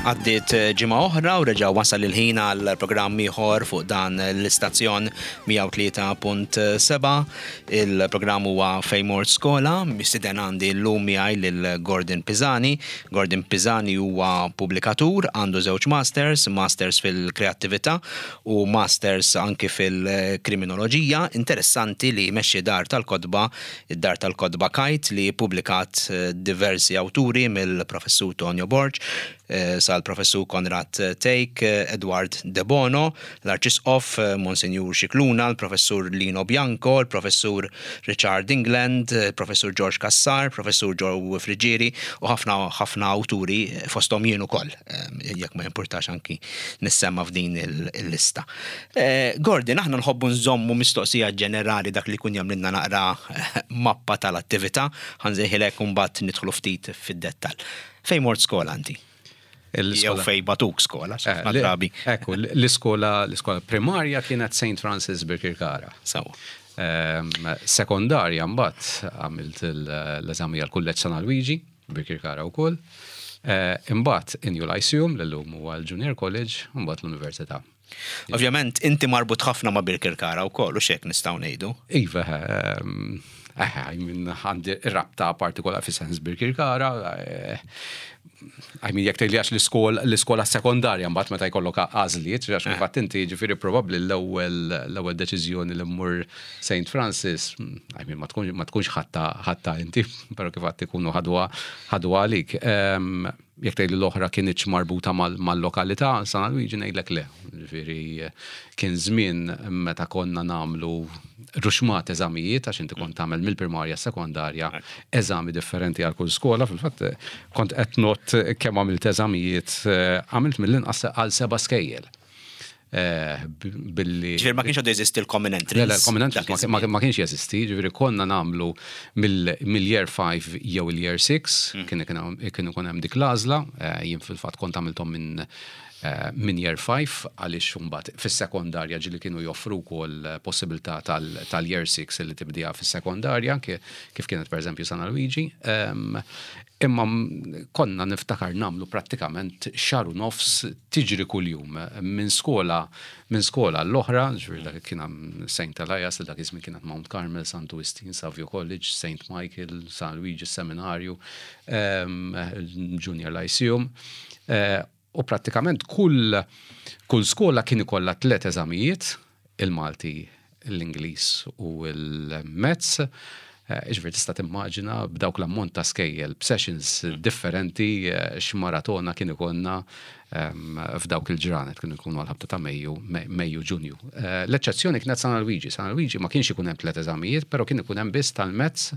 Għaddiet ġimgħa oħra u reġa' wasal il-ħin għal programm ieħor fuq dan l-istazzjon 103.7. Il-programm huwa Fejn Mort Skola, mistieden għandi llum miegħi lil Gordon Pisani. Gordon Pisani huwa pubblikatur, għandu żewġ masters, masters fil-kreattività u masters anki fil-kriminoloġija. Interessanti li jmexxi dar tal-kotba, id-dar tal-kotba Kite li ppubblikat diversi awturi mill-Professur Tonio Borg, sal-Professur Konrad Thake, Edward De Bono, l-Arċisqof Monsinjur Scicluna, l-Professur Lino Bianco, il-Professur Richard England, il-Professur George Cassar, Professur Joe Friggieri u ħafna ħafna awturi fosthom jien ukoll, jekk ma jimpurtax anki nissemma f'din il-lista. Gordon, aħna nħobbu nżommu mistoqsija ġenerali dak li jkun jagħmlilna naqra mappa tal-attività, ħa nsejħilek u mbagħad nidħlu ftit fid-dettall. Fejn mort skola inti? Jew fejn batuk skola, ħafna drabi. Ekku, l-iskola l-iskola primarja kienet St. Francis Birkirkara. Sawa. Sekondarja mbagħad għamilt l-eżami għall-Kulleġġ San Alwiġi, Birkirkara wkoll. Imbagħad Inju Lyceum, li llum huwa l-Junior College, u mbagħad l-Università. Ovvjament inti marbut ħafna ma' Birkirkara wkoll u x'hekk nistgħu ngħidu. Iva, eh, I mean, għandi rabta partikolari fi sens Birkirkara. Eh, I mean, jekk tgħidli għax l-iskola sekondarja mbagħad meta jkollok għażliet, għax eh. fatt inti ġifieri probabbli l-ewwel l-ewwel deċiżjoni li mmur St. Francis, I mean, ma tkunx ħatta inti, però kif għad ikunu ħadwa għalik. Jekk tgħidli l-oħra kinitx marbuta mal-lokalità, San Alwiġi ngħidlek le. Ġifieri kien żmien meta konna nagħmlu ruxmat eżamijiet għax inti kont tagħmel mill-primarja sekondarja eżami differenti għal kull skola. Fil-fatt kont qed ngħodd kemm għamilt eżamijiet, għamilt mill-inqas għal seba' skejjel. Eh, billi. Ġifieri ma kienx għadu jeżisti l-common entrance. Le, l-common entrance ma kienx jeżisti, ġifieri konna nagħmlu mill-year 5 jew il-year 6, mm. kien ikun hemm dik l-għażla, eh, jien fil-fatt kont għamilthom minn eh, minn year 5 għaliex imbagħad fis-sekondarja ġieli kienu joffru wkoll possibilità tal-year 6 li tibdija fis-sekondarja kif kienet pereżempju San Luigi. Ehm, imma konna niftakar nagħmlu prattikament xahar u nofs tiġri kuljum minn skola minn skola għall-oħra, ġifieri dak kien hemm Saint Elias li dak iż-żmien kienet Mount Carmel, Santu Wistin, Savio College, Saint Michael, San Luigi Seminarju, ehm, Junior Lyceum. Eh, u prattikament kull kull skola kien ikollha tliet eżamijiet, il-Malti, l-Ingliż u l-Maths. Jiġifieri tista' timmaġina b'dawk l-ammont ta' skejjel, b'sessions differenti x'maratona kien ikollna f'dawk il-ġranet, kienu jkunu għall-ħabta ta' Mejju, Mejju, Ġunju. L-eċċezzjoni kienet San Alwiġi. San Alwiġi ma kienx ikun hemm tliet eżamijiet, però kien ikun hemm biss tal-Maths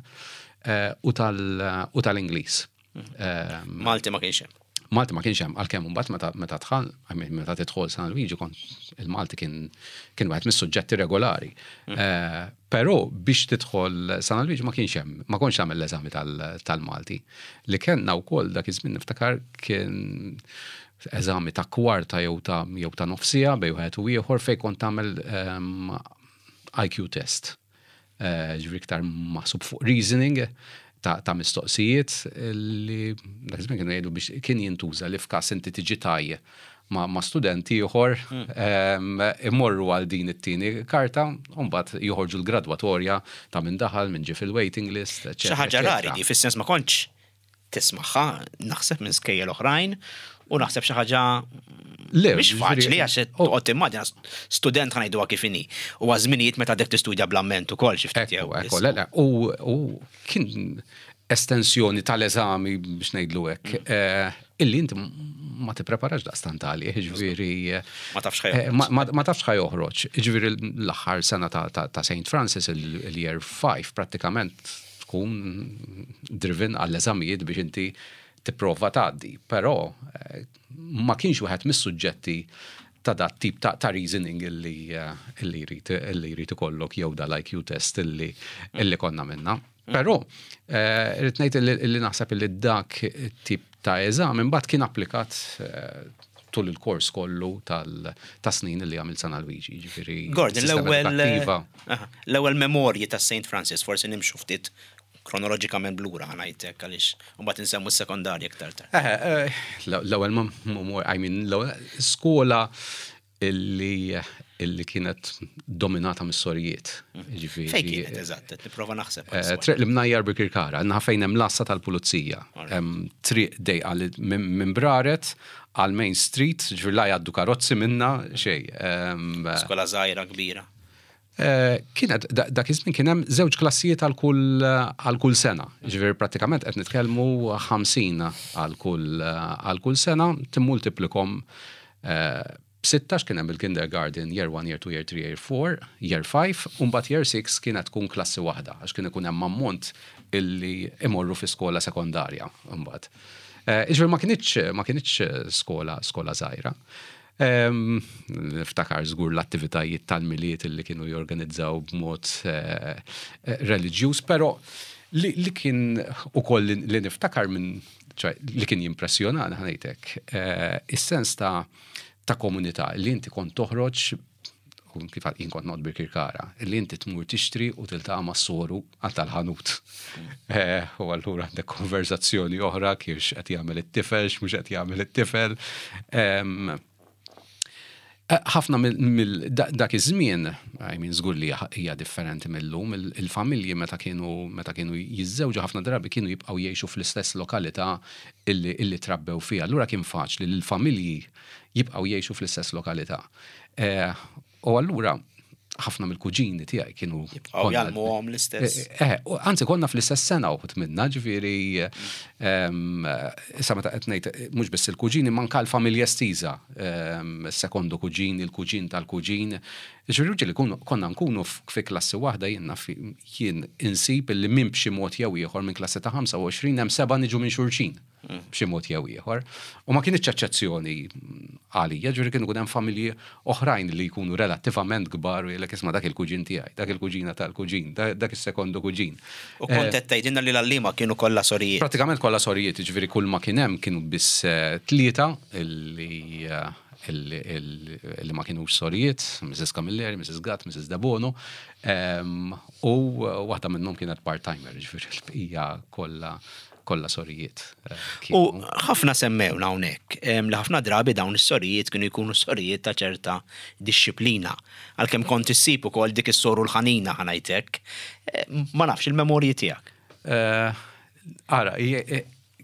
u tal-Ingliż. Malti ma kienx hemm. Malti ma kienx hemm għalkemm imbagħad meta meta dħal, meta tidħol San Luigi kont il-Malti kien kien wieħed mis-suġġetti regolari. Mm. Eh, però biex tidħol San Luigi ma kienx hemm, ma kontx tagħmel l-eżami tal-Malti. Li kellna wkoll dak iż-żmien niftakar kien eżami ta' kwarta jew ta' jew ta' nofsija bej wieħed u ieħor fejn kont tagħmel ehm, IQ test. Eh, ġifieri iktar maħsub fuq reasoning ta' mistoqsijiet li dak iż-żmien kienu jgħidu biex kien jintuża li f'każ inti tiġi taj ma' student ieħor hmm. ehm, imorru għal din it-tieni karta u mbagħad joħorġu l-gradwatorja ta' min daħal, min ġie fil-waiting list, Xi ħaġa rari di fis-sens ma kontx tismagħha naħseb minn skejjel oħrajn u naħseb xi ħaġa mhix faċli għax toqgħod timmaġina student ħa ngħiduha kif inhi. U żminijiet meta għadek tistudja bl-amment ukoll xi ftit jew. Ekku, le, le, u kien estensjoni tal-eżami biex ngħidlu hekk, mm. eh, illi inti ma tippreparax daqstant għalih, ġifieri. Ma tafx ħa eh, Ma tafx ħa joħroġ. Ġifieri l-aħħar sena ta' St. Francis il-year 5 prattikament tkun driven għall-eżamijiet biex inti tipprova tgħaddi. Però eh, ma kienx wieħed mis-suġġetti ta' dat tip ta', ta reasoning illi, eh, illi jrid illi jrid ikollok jew dal-IQ test illi, illi konna minna. Però eh, rrid ngħid illi naħseb illi dak tip ta' eżami mbagħad kien applikat tul il-kors kollu ta' snin li għamil San Alwiġi, ġifieri. Gordon, l-ewwel l-ewwel memorji ta' St. Francis, forsi nimxu ftit Kronoloġikament b'lura ħa ngħidlek għaliex mbagħad insemmu s-sekondarja iktar tard. L-ewwel ma I mean, skola illi illi kienet dominata mis-sorijiet. Ġifieri. Fejn kienet eżatt, qed nipprova naħseb. Triq l-Imnajjar Birkirkara, naħa fejn hemm l-għassa tal-pulizija. Triq dejqa li minn Braret għal Main Street, ġifieri la jgħaddu karozzi minna xejn. Skola żgħira kbira. Kienet, dak iż-żmien kien hemm żewġ klassijiet għal kull għal kull sena. Ġifieri prattikament qed nitkellmu 50 għal kull għal kull sena, timmultiplikom b'sitta kien hemm il-kindergarten, year 1, year 2, year 3, year 4, year 5, u mbagħad year 6 kienet tkun klassi waħda għax kien ikun hemm ammont illi imorru fi skola sekondarja mbagħad. Ġifieri ma kinitx skola żgħira. Niftakar żgur l-attivitajiet tal-Milied illi kienu jorganizzaw b'mod reliġjuż, però li kien ukoll li niftakar minn, ċoè, li kien jimpressjonani ħa ngħidlek, is-sens ta' komunità li inti kont toħroġ u kif jien kont noqgħod Birkirkara, li inti tmur tixtri u tiltaqa' mas-soru għal tal-ħanut. U allura għandek konverzazzjoni oħra kif qed jagħmel it-tifel, x'mhux qed jagħmel it-tifel. Ħafna mill dak iż-żmien, I mean, żgur li hija differenti mill-lum, il-familji meta kienu jiżżewġu ħafna drabi kienu jibqgħu jgħixu fl-istess lokalità illi trabbew fiha. Allura kien faċli li l-familji jibqgħu jgħixu fl-istess lokalità. U allura ħafna mill-kuġini tiegħi kienu Jibqgħu jgħallmuhom l-istess. Anzi konna fl-istess sena uħud minna, ġifieri issa meta qed ngħid mhux biss il-kuġini, manka l-familja estiża, sekondu kuġin, il-kuġin tal-kuġin. Ġifieri ġieli konna nkunu fi klassi waħda jien naf jien insib illi minn b'xi mod jew ieħor minn klassi ta' 25 hemm seba' niġu minn xulxin b'xi mod jew ieħor. U ma kienx eċċezzjoni għalija, ġifieri kienu hemm familji oħrajn li jkunu relattivament kbar u jgħidlek isma' dak il-kuġin tiegħi, dak il-kuġina tal-kuġin, dak is-sekondu kuġin. U kont qed tgħidilna li l-għalliema kienu kollha sorijiet. Pratikament kollha sorijiet, ġifieri kull ma kien hemm kienu biss tlieta illi ma kienux sorijiet, Mrs. Camilleri, Mrs. Gatt, Mrs. Debono, u waħda minnhom kienet part-timer, ġifieri l-bqija kollha sorijiet. U ħafna semmewna hawnhekk li ħafna drabi dawn is-sorijiet kienu jkunu sorijiet ta' ċerta dixxiplina. Għalkemm kont issib ukoll dik is-soru l-ħanina ħa ngħidlek. Ma nafx il-memorji tiegħek. Ara,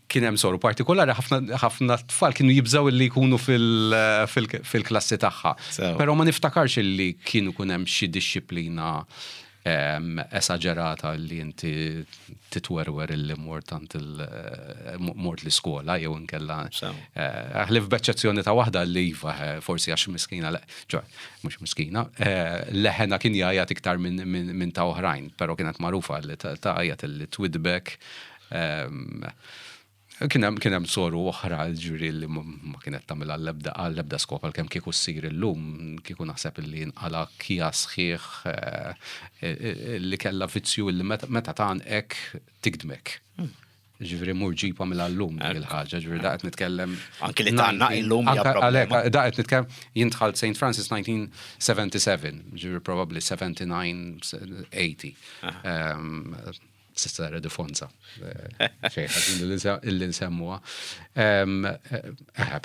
kien hemm soru partikolari ħafna tfal kienu jibżaw li jkunu fil-klassi tagħha. Però ma niftakarx li kienu kun hemm xi dixxiplina esaġerata li inti titwerwer illi mort għand mort l-iskola jew inkella ħlief b'eċċezzjoni ta' waħda li iva, forsi għax miskina, ċoè, mhux miskina, leħena kien jgħajjat iktar minn ta' oħrajn, però kienet magħrufa li tgħajjat li twidbek. Kien hemm soru oħra ġifieri li ma kienet tagħmel għall-ebda skop għalkemm kieku ssir illum, kieku naħseb li nqala kja sħiħ li kellha vizzju li meta tgħannqek tigdmek. Ġifieri mur ġibha mill-lum dik il-ħaġa, ġifieri da qed nitkellem. Anki li tgħannaq illum hija problema. Da qed nitkellem jien dħalt St. Francis 1977, ġifieri probably 79, 80. Sister Edifonza. Xejn ħażin illi nsemmuha.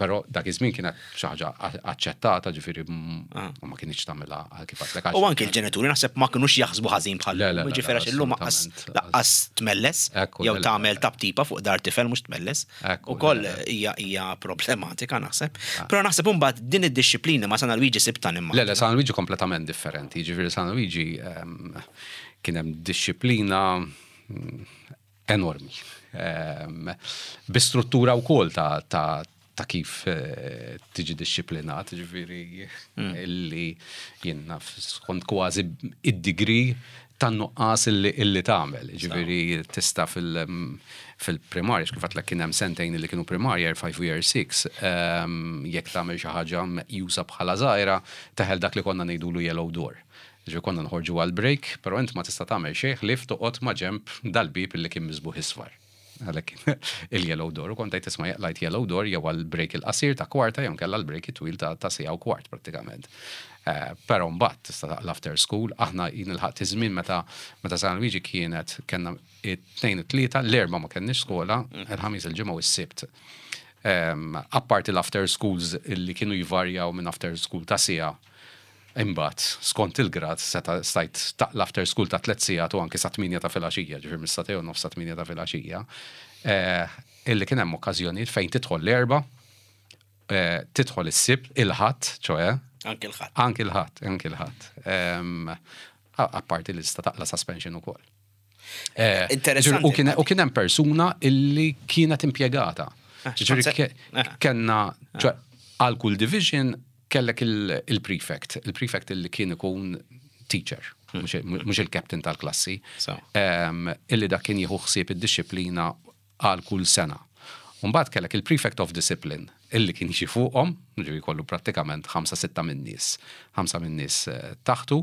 Però dak iż-żmien kienet xi ħaġa aċċettata, ġifieri ma kienx tagħmilha għal kif għedtlek. U anki l-ġenituri naħseb ma kinux jaħsbu ħażin bħal Le, le, le, ġifieri għax illum laqqas tmelles jew tagħmel taptipa fuq dar tifel mhux tmelles. Ukoll hija problematika naħseb. Però naħseb imbagħad din id-dixxiplina ma' San Alwiġi sibta nimma. Le, le, San Alwiġi kompletament differenti. Ġifieri San Alwiġi kien hemm dixxiplina enormi. Bi struttura wkoll ta' kif tiġi dixxiplinat, ġifieri illi jien naf skont kważi id-degree tan-nuqqas illi tagħmel. Ġifieri tista' fil-primarja, kif għedtlek kien hemm sentejn illi kienu primarja, year 5 u year 6, jekk tagħmel xi ħaġa meqjusa bħala żgħira, teħel dak li konna ngħidulu yellow door. Ġifieri konna nħorġu għal break, però int ma tista' tagħmel xejn ħlief toqgħod ma' ġenb dal-bib illi kien miżbugħ isfar. Għalhekk il-yellow door u kont tgħid isma' jaqlajt yellow door jew għal break il-qasir ta' kwarta jew nkella l-break it-twil ta' siegħa u kwart prattikament. Eh, però mbagħad tista' taqla after school, aħna jien ilħaqt iż-żmien meta meta San Luigi kienet kellna it-tnejn it-tlieta, l-erba' ma kenniex skola, il-ħamis il-ġimgħa u s-sibt. Ehm, apparti l-after schools illi kienu jvarjaw minn after school ta' siegħa Imbagħad, skont il-grad, seta' stajt taqla' after school ta' tlett sigħat u anki sat-tmienja ta' filgħaxija, ġifieri mis-sagħtejn u nofs sat-tmienja ta' filgħaxija, illi kien hemm okkażjonijiet fejn tidħol l-Erbgħa, tidħol is-Sibt, il-Ħadd, ċoe. Anki l-Ħadd. Anki l-Ħadd, anki l-Ħadd. Apparti li tista' taqla' suspension ukoll. Eh, Interessanti. U kien hemm persuna illi kienet impjegata. Ah, ġifieri eh. kellna ah. għal kull division kellek il-prefect, il-prefect illi kien ikun teacher, hmm. mhux il-captain tal-klassi, illi dak kien jieħu ħsieb id-disciplina għal kull sena. Mbagħad kellek il-prefect of discipline illi kien jiġi fuqhom, ġifieri kollu prattikament ħamsa sitta min-nies, ħamsa min-nies eh, taħtu.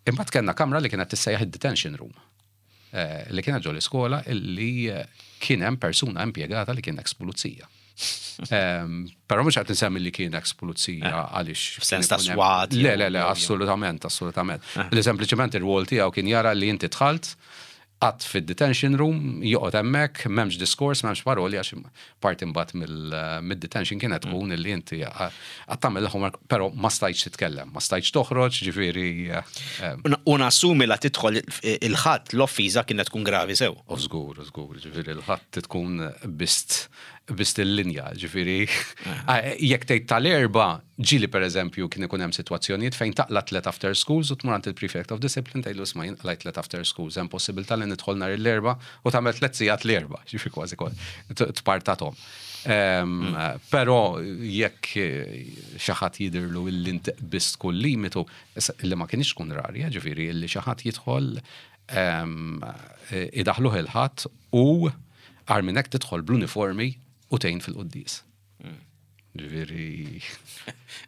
Imbagħad kellna kamra li kienet tissejjaħ id-detention room eh, li kienet ġol iskola illi eh, kien hemm persuna impjegata li kien ex pulizija. Ehm, però mhux qed nsemmi li kien ex pulizija eh, għaliex. F'sens ta' swat. Le, le, le, assolutament, assolutament. Li sempliċement ir-rwol tiegħu kien jara li inti dħalt Qatt fid-detention room, joqgħod hemmhekk, m'hemmx diskors, m'hemmx paroli għax parti mbagħad mid-detention kienet tkun illi inti qatt tagħmel il-homework però ma stajtx titkellem, ma stajtx toħroġ, ġifieri. U nassumi la tidħol il-Ħadd l-offiża kienet tkun gravi sew. U żgur, żgur, ġifieri l-Ħadd tkun bist bist il-linja, ġifieri jekk tgħid tal-Erbgħa Ġieli pereżempju kien ikun hemm sitwazzjonijiet fejn taqla' tliet after schools u tmur għand il-prefect of discipline tgħidlu isma' jien qlajt tliet after schools hemm possibilità li nidħol nhar il-Erbgħa u tagħmel tliet sigħat l-Erbgħa, jiġifieri kważi tpartathom. Però jekk xi ħadd jidhirlu illi inti qbiżt kull limitu, li ma kinitx tkun rari, ġifieri illi xi ħadd jidħol idaħħluh il-Ħadd u agħar minn hekk tidħol bl-uniformi u tgħin fil-quddies. Ġifieri.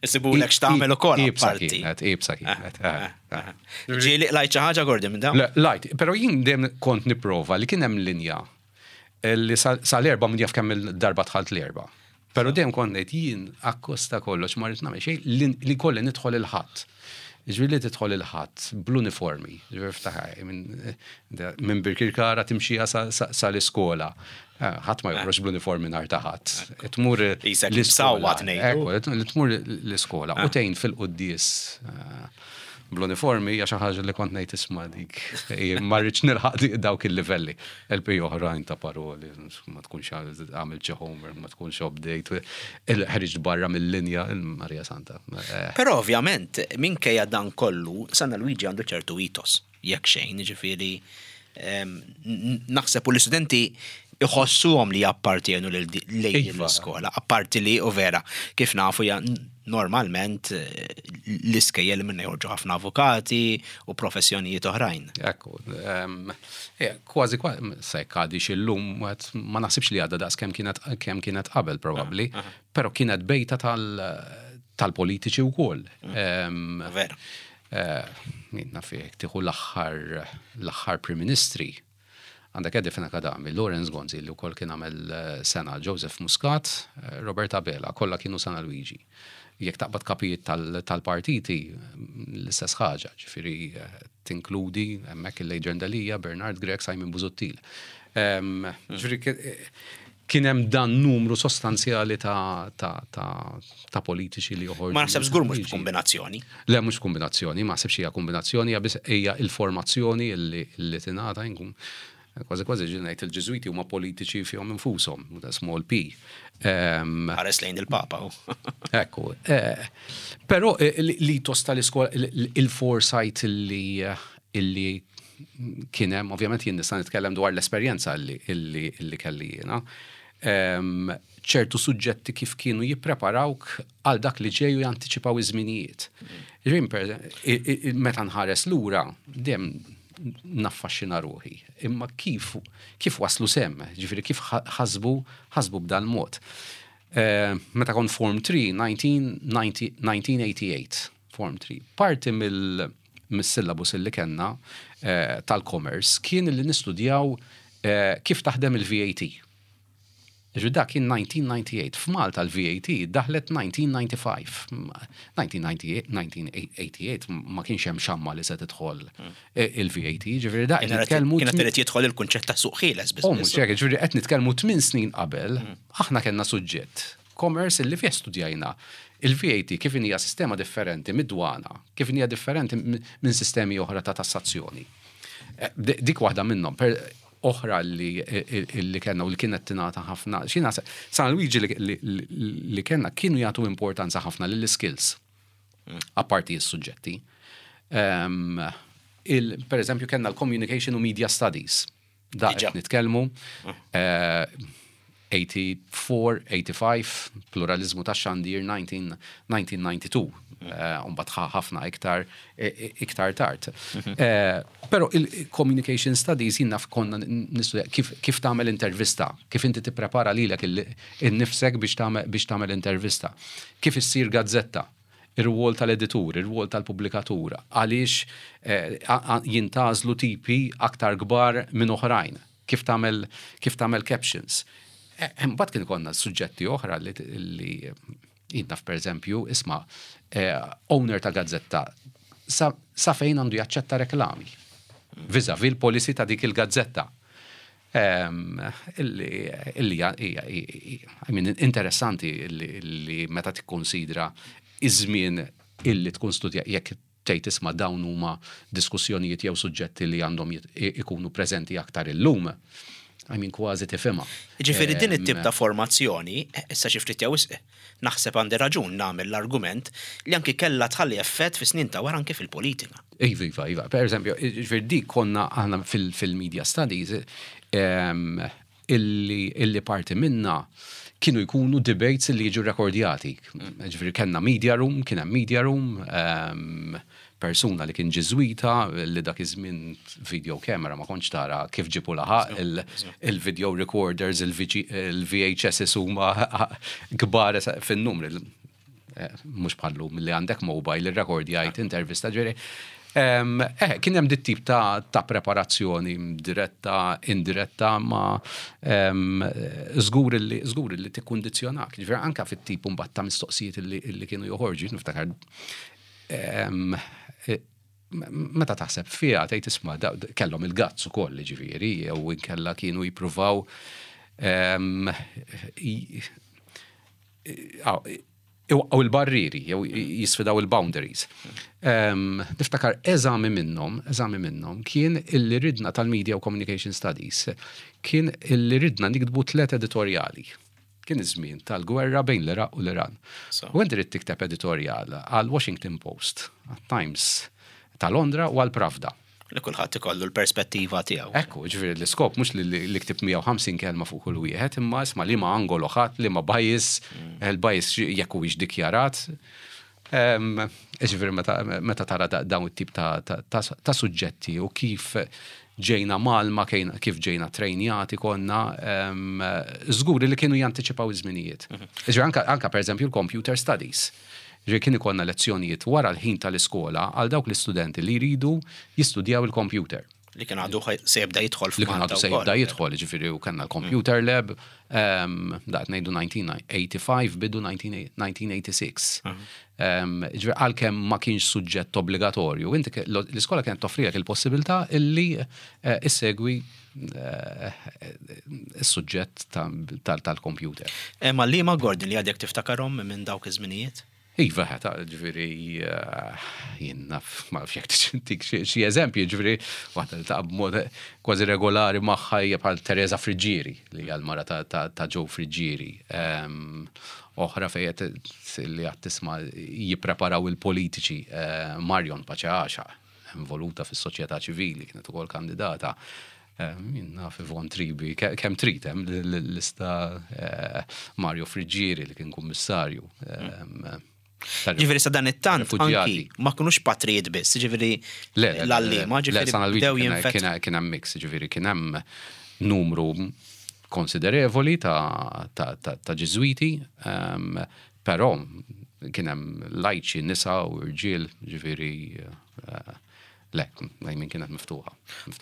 Isibulek x'tagħmel ukoll. Ibsa kienet, ibsa kienet. Eh, eh, eh. Ġieli lajt xi ħaġa Gordon minn dawn? Lajt, però jien dejjem kont nipprova li kien hemm linja li sal-erba' min jaf kemm il-darba dħalt l-erba'. Però dejjem kont ngħid jien akkosta kollox ma rrid nagħmel xejn li kolli nidħol il-ħadd. Ġifieri li tidħol il-Ħadd bl-uniformi, ġifieri ftaħar, minn Birkirkara timxija sal-iskola. Eh, ħadd ma joħroġ bl-uniformi nhar ta' ħadd. Tmur l-iskola. Li tmur l-iskola u tgħin fil-quddies eh, bl-uniformi hija xi ħaġa li kont ngħid isma' dik. Ma rridx nilħaq dawk il-livelli. LP oħrajn ta' paroli, ma tkunx għamil xi homework, ma tkunx update, ħriġt barra mill-linja, il-Marija Santa. Eh. Però ovvjament, minkejja dan kollu, San Luigi għandu ċertu ethos, jekk xejn, ġifieri ehm, naħseb u l-istudenti iħossuhom li jappartienu lejn iva. l-iskola, apparti li u vera, kif nafu normalment l-iskejjel li minna joħorġu ħafna avukati u professjonijiet oħrajn. Ekku, kważi kważi, se għadix illum, ma naħsibx li għadha daqs kemm kienet kemm kienet qabel probabbli, però kienet bejta tal-politiċi wkoll. Mm. Vera. Eh, naf jekk tieħu l-aħħar l-aħħar Prim Ministri Għandek Eddie Fenech Adami, Lawrence Gonzi li wkoll kien għamel sena, Joseph Muscat, Robert Abela, kollha kienu San Luigi. Jekk taqbad kapijiet tal-partiti, l-istess ħaġa, ġifieri tinkludi hemmhekk il-Adrian Delia, Bernard Grech, Simon Busuttil. Ġifieri kien hemm dan numru sostanzjali ta' ta' politiċi li joħorġu. Ma naħseb żgur mhux b'kombinazzjoni. Le mhux kombinazzjoni, ma naħsibx hija kombinazzjoni, hija biss hija il-formazzjoni li tingħata inkun kważi kważi ġieli ngħid il-Ġiżwiti huma politiċi fihom infushom, small p. Ħares lejn il-Papa. Ekku. Eh, però eh, l-ethos tal-iskola, il-foresight li illi kien hemm, ovvjament jien nista' nitkellem dwar l-esperjenza illi kelli jiena. Ċertu suġġetti kif kienu jippreparawk għal dak li ġej u jantiċipaw iż-żminijiet. Ġifieri meta nħares lura, dejjem naffaxxina ruħi. Imma kif kif waslu semm, ġifieri kif ħasbu ħasbu b'dan mod. Meta kont Form 3, 1988, Form 3, parti mill mis-syllabus illi kellna tal-commerce kien illi nistudjaw Kif taħdem il-VAT. Ġifieri dak kien 1998. F'Malta l-VAT daħlet 1995. 1988 ma kienx hemm xamma li se tidħol il-VAT, ġifieri da qed nitkellmu. Kienet irid jidħol il-kunċett ta' suq ħieles biss. Oh, mhux hekk, ġifieri qed nitkellmu tmien snin qabel, aħna kellna suġġett commerce illi fih studjajna il-VAT kif inhija sistema differenti mid-dwana, kif inhija differenti minn sistemi oħra ta' tassazzjoni. Dik waħda minnhom. Oħra li li kellna u li kienet tingħata ħafna, xi naħseb, San Luigi li kellna kienu jagħtu importanza ħafna lill-iskills, apparti s-suġġetti. Per eżempju, kellna l-Communication u Media Studies. Da qed nitkellmu. 84, 85, pluraliżmu tax-xandir 1992, u mbagħad ħafna iktar iktar tard. Però il-communication studies jien naf konna nistudja kif tagħmel intervista, kif inti tipprepara lilek innifsek biex tagħmel intervista, kif issir gazzetta, ir-rwol tal-editur, ir-rwol tal-pubblikatur, għaliex jintgħażlu tipi aktar kbar minn oħrajn, kif tagħmel captions. Imbagħad kien ikollna suġġetti oħra li jien naf, pereżempju, isma', owner ta' gazzetta sa fejn għandu jaċċetta reklami vis-a-vis il-policy ta' dik il-gazzetta. Illi I mean, interessanti illi meta tikkonsidra iż-żmien illi tkun studja, jekk tgħid, isma', dawn huma diskussjonijiet jew suġġetti li għandhom ikunu preżenti aktar illum. I mean, kważi tifhimha. Ġifieri din it-tip ta' formazzjoni, issa xi ftit jew naħseb għandi raġun nagħmel l-argument li anki kellha tħalli effett fi snin ta' wara anke fil-politika. Iva. Per eżempju, ġifieri dik konna aħna fil-media studies illi parti minna kienu jkunu debates li jiġu rekordjati. Ġifieri kellna media room, kien hemm media room, persuna li kien ġiżwita li dak iż-żmien video camera ma kontx tara kif ġibu laħaq il-video recorders, il-VHS huma kbar fin-numri. Mhux bħallum li għandek mobile, il-rekordjajt intervista, ġifieri. Kien hemm dit tip ta' preparazzjoni diretta, indiretta, ma żgur li tikkundizzjonak. Ġifieri anka fit-tip mbagħad ta' mistoqsijiet illi kienu joħorġu, niftakar meta taħseb fiha tgħid, isma', kellhom il-guts ukoll, ġifieri, jew inkella kienu jippruvaw iwaqqgħu il-barriri, jew jisfidaw il-boundaries. Niftakar eżami minnhom kien illi ridna tal-Media u Communication Studies, kien illi ridna niktbu tlet editoriali. Kien iż-żmien tal-gwerra bejn l-Iraq u l-Iran. U inti trid tikteb editorial għal Washington Post, għal Times ta' Londra u għal Pravda. Li kulħadd ikollu l-perspettiva tiegħu. Ekku, ġifieri l-iskop mhux li ktib 150 kelma fuq kull wieħed, imma isma' li ma angolo ħadd, li ma bias, il-bias jekk huwiex dikjarat. Ġifieri meta tara dawn it-tip ta' suġġetti u kif ġejna malma, kif ġejna trejnjati konna, żgur li kienu jantiċipaw iż-żminijiet. Ġifieri anka per eżempju l-computer studies. Ġifieri kien ikollna lezzjonijiet wara l-ħin tal-iskola għal dawk l-istudenti li jridu jistudjaw il-computer. Li kien għadu se jibda jidħol Li kien għadu se jibda jidħol, ġifieri u kellna l-computer lab, da ngħidu 1985, bidu 1986. Ġifieri għalkemm ma kienx suġġett obbligatorju, inti l-iskola kienet toffrilek il-possibilità illi issegwi is-suġġett tal-computer. Ma li ma Gordon li għadek tiftakarhom minn dawk iż-żminijiet? Iva, ta' ġifieri, jien naf, ma nafx jekk tik xi eżempji, ġifieri, waħda li ta' b'mod kważi regolari magħha hija bħal Teresa Friggieri, li hija l-mara ta' Joe Friggieri. Oħra fejn li għad tisma' jippreparaw il-politiċi, Marion Pace Għaxaq, involuta fis-soċjetà ċivili, kienet ukoll kandidata. Jien naf Yvonne Tribi, kemm trid hemm l-lista, Mario Friggieri li kien kummissarju. Ġifieri sa dan it-tant anki ma kinux patrijiet biss, ġifieri l-għalliema, ġifieri bdew jinfet. Kien hemm mix, ġifieri kien hemm numru konsiderevoli ta' Ġiżwiti, però kien hemm lajċi, nisa u rġiel, ġifieri. Le, I mean kienet miftuħa.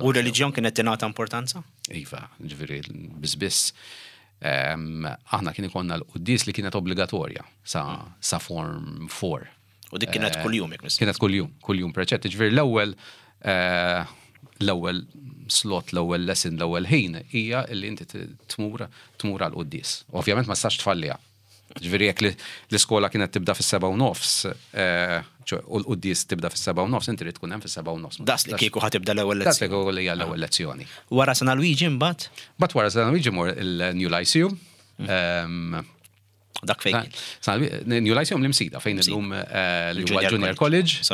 U reliġjon kienet tingħata importanza? Iva, ġifieri biss biss. Aħna kien ikollna l-quddies li kienet obbligatorja sa form 4. U dik kienet kuljum, jekk Kienet kuljum, kuljum preċett. Ġifieri l-ewwel slot, l-ewwel lesson, l-ewwel ħin hija li inti tmur għal quddies. Ovvjament ma tistax tfalliha. Ġifieri jekk l-iskola kienet tibda fis-7:30, u l-quddies tibda fis-7:30, inti trid tkun hemm fis-7:30. Das li kieku ħa tibda l-ewwel lezzjoni. Das li kieku hija l-ewwel lezzjoni. Wara San Luigi mbagħad? Mbagħad wara San Luigi mort il-New Lyceum. Dak fejn? New Lyceum l-Imsida, fejn illum li huwa Junior College.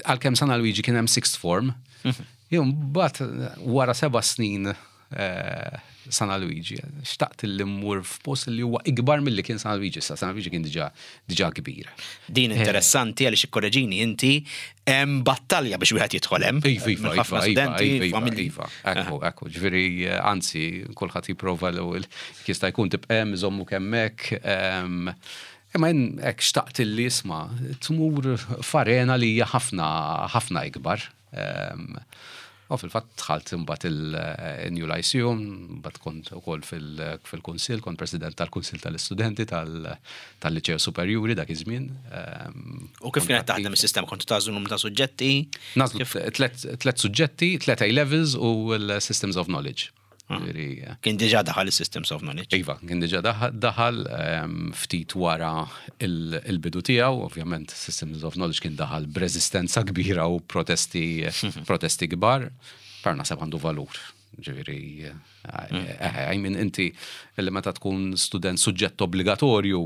Għalkemm San Luigi kien hemm sixth form, jien mbagħad wara 7 snin San Luigi, xtaqt li mmur f'post li huwa ikbar milli kien San Luigi, sa San Luigi kien diġà kbir. Din interessanti għaliex, ikkoreġini inti, hemm battalja biex wieħed jidħol hemm. Iva, iva, ekku, ġifieri, anzi, kulħadd jipprova l-ewwel jista' jkun tibqa' hemm, iżommu hemmhekk. Imma jien hekk xtaqt li isma' tmur f'arena li hija ħafna ħafna ikbar. U fil-fatt dħalt imbagħad il-New Lyceum, mbagħad kont ukoll fil-Kunsill, kont president tal-Kunsill tal-Istudenti tal-Liċeo Superjuri dak iż-żmien. U kif kienet taħdem is-sistema? Kontu tagħżlu numru ta' suġġetti? Nagħżlu tlet suġġetti, tlet A-levels u l-Systems of Knowledge. Kien diġà daħal is-Systems of Knowledge. Iva, kien diġà daħal ftit wara il-bidu tiegħu, ovvjament Systems of Knowledge kien daħal b'reżistenza kbira u protesti kbar, però naħseb għandu valur. Ġifieri, I mean, inti li meta tkun student suġġett obbligatorju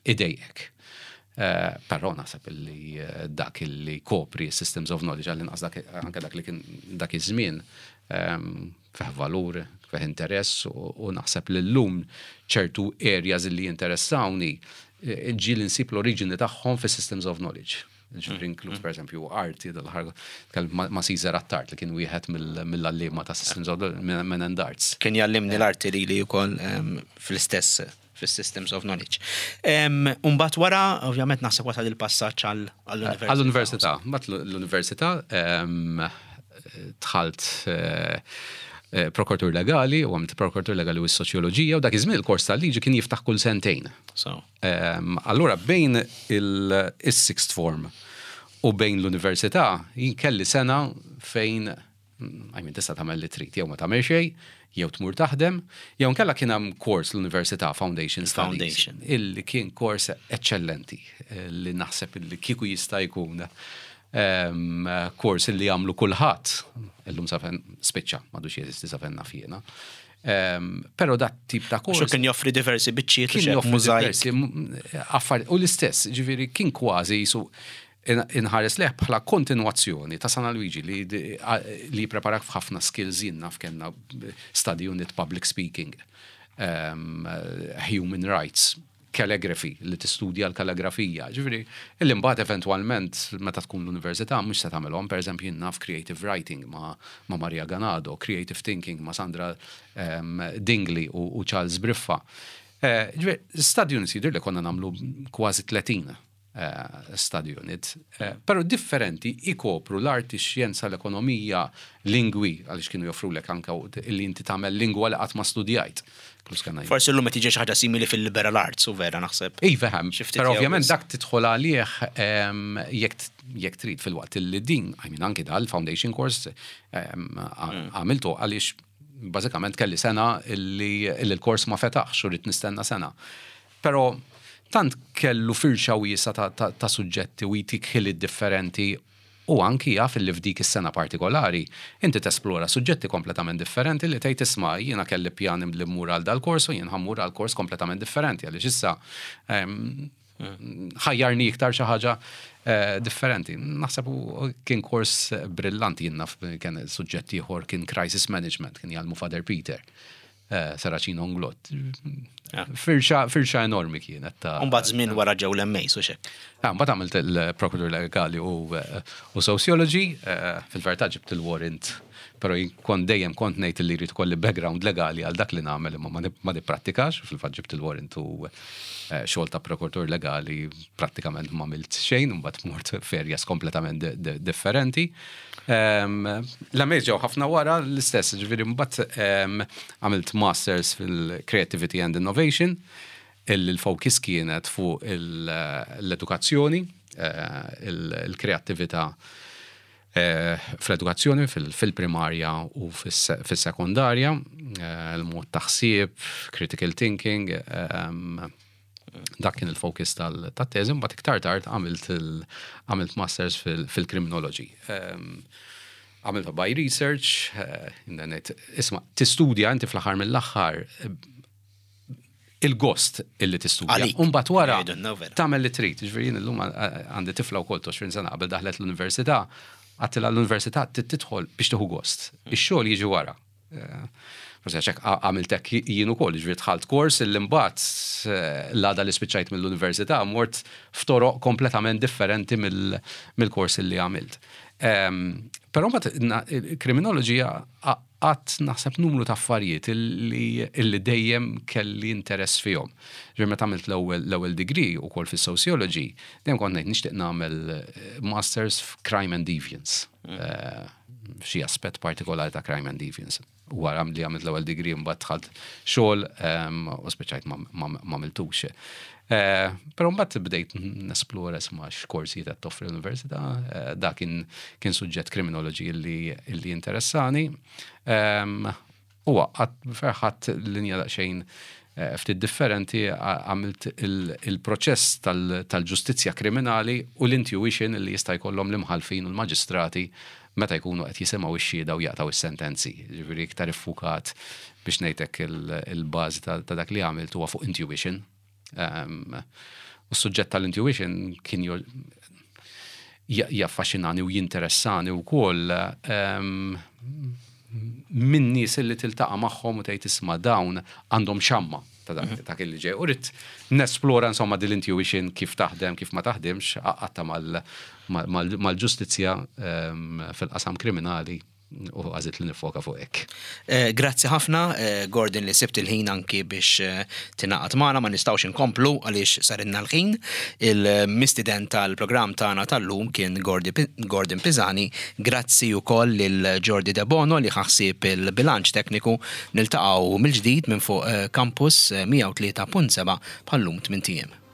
idejjek. Però naħseb li dak li kopri Systems of Knowledge, għall-inqas anke dak li kien dak iż-żmien, fih valur, fih interess u naħseb li llum ċertu areas li jinteressawni ġieli nsib l-oriġini tagħhom fi Systems of Knowledge. Ġifieri inkluż per eżempju arti, dal-aħħar ma' Caesar Attard li kien wieħed mill-għalliema ta' Systems of Men and Arts. Kien jgħallimni l-arti li li wkoll fl-istess fis-Systems of Knowledge. Umbagħad wara, ovvjament naħseb wasal il-passaġġ għall-università. Għall-università. Mbagħad l-università dħalt prokuratur legali u għamilt prokuratur legali u s-soċjoloġija u dak iż-żmien il-kors tal-liġi kien jiftaħ kull sentejn. Allura bejn il-sixth form u bejn l-università jien kelli sena fejn, I mean, tista' tagħmel li trid, jew ma tagħmel xejn, jew tmur taħdem, jew nkella kien hemm kors l-Università, Foundation Studies, Foundation. illi kien kors eccellenti, li naħseb illi kieku jista' jkun kors illi jagħmlu kulħadd. Illum safen spiċċa, m'għadux jeżisti safen naf jiena. Però dat tip ta' kors Xu kien joffri diversi biċċiet u kien xek joffri mużajk. diversi affarijiet. U l-istess, ġifieri kien kważi jisu inħares leħ bħala kontinuazzjoni ta' San Luigi li preparak f'ħafna skills. Jien naf kellna study unit public speaking, human rights, calligraphy, li tistudja l-kalligrafija. Ġifieri, illi mbagħad eventwalment meta tkun l-università mhux se tagħmelhom, pereżempju jien naf creative writing ma' Maria Ganado, creative thinking ma' Sandra Dingley u Charles Briffa. Ġifieri, study units jidher li konna nagħmlu kważi 30 study unit, però differenti ikopru l-arti, xjenza, l-ekonomija, lingwi, għaliex kienu joffrulek anka li inti tagħmel lingwa li qatt ma studjajt. Plus kellna Forsi llum qed tiġi xi ħaġa simili fil-liberal arts u vera naħseb. Iva, hemm, Xi ftit però jew ovvjament biss. dak tidħol għalih jekk trid, fil-waqt li din, I mean, anki dal-foundation course għamiltu għaliex bażikament kelli sena illi l-kors ma fetaħx u rrid nistenna sena. Però tant kellu firxa wiesa ta' suġġetti u jtik ħiliet differenti u anki jaf li f'dik is-sena partikolari inti tesplora suġġetti kompletament differenti li tgħid, "Isma', jiena kelli pjan li mmur għal dal-kors u jien ħa mmur għal kors kompletament differenti għaliex issa ħajjarni iktar xi ħaġa differenti." Naħseb kien kors brillanti. Jien naf kien suġġett ieħor kien crisis management, kien jgħallmu Father Peter Saracino Nglott. Firxa enormi kienet ta' Umbagħad żmien wara ġew l-MAs u xek. Ah, mbagħad għamilt il-Procurator Legali u Sociology, fil-verità ġibt il-warrant. Però jien kont dejjem kont ngħid li jrid ikolli background legali għal dak li nagħmel imma ma nipprattikax, fil-fatt ġibt il-warrant u eh, xogħol ta' prokuratur legali prattikament ma għamilt xejn, imbagħad mort f'areas kompletament differenti. Ehm, L-MAs ġew ħafna wara l-istess, ġifieri mbagħad ehm, għamilt masters fil-Creativity and Innovation, illi l-focus kienet fuq l-edukazzjoni, eh, il-kreattività eh, fl-edukazzjoni fil-primarja u fis-sekondarja, eh, il-mod ta' ħsieb, critical thinking, ehm, dak kien il-focus tal-teżi, mbagħad iktar tard għamilt masters fil-criminology. Ehm, għamilta by research, isma' tistudja inti fl-aħħar mill-aħħar il-gost illi tistudja. Umbagħad wara tagħmel li trid. Ġifieri jien illum għandi tifla wkoll 20 sena qabel daħlet l-università, għedtilha l-università tidħol biex tieħu gost. Ix-xogħol jiġi wara. Eh, forsi għax hekk għamilt hekk jien ukoll, ġifieri dħalt kors illi mbagħad eh, l-għada li spiċċajt mill-università mort f'toroq kompletament differenti mill-kors illi għamilt. Ehm, però mbagħad kriminoloġija għadt naħseb numru ta' affarijiet illi dejjem kelli interess fihom. Ġifieri meta għamilt l-ewwel degree ukoll fis-sociology, dejjem kont ngħid nixtieq nagħmel eh, masters f'crime and deviance. Mm. Eh, f'xi aspett partikolari ta' crime and deviance. Wara li għamilt l-ewwel degree mbagħad dħalt xogħol ehm, u spiċċajt ma għamiltux. Eh, però mbagħad bdejt nesplora isma' x'korsijiet qed toffri l-università, eh, da kien kien suġġett criminology illi interessani. Ehm, u għat ferħat linja daqsxejn eh, ftit differenti għamilt il-proċess tal-ġustizzja kriminali u l-intuition li jista' jkollhom l-imħalfin u l-maġistrati meta jkunu qed jisimgħu x-xhieda u jaqtgħu s-sentenzi. Ġifieri iktar iffukat biex ngħidlek il-bażi ta' dak li għamilt huwa fuq intuition. Ehm, u s-suġġett tal-intuition kien jaffaxxinani u jinteressani wkoll ehm, minn nies li tiltaqa' magħhom u tgħid isma' dawn għandhom xamma ta' dak mhm. ta' li ġej. U ridt nesplora insomma din l-intuition kif taħdem, kif ma taħdimx, għaqqadtha mal-ġustizzja ehm, fil-qasam kriminali u għażilt li nifoka fuq hekk. Eh, grazzi ħafna, eh, Gordon, li sibt il-ħin anki biex eh, tingħaqad magħna, ma nistgħux inkomplu għaliex sarinna l-ħin. Il-mistieden tal-programm tagħna tal-lum kien Gordon Pisani. Grazzi wkoll lil Jordi De Bono li ħa ħsieb il-bilanċ tekniku. Niltaqgħu mill-ġdid minn fuq Campus 103.7 bħal-lum 8 ijiem.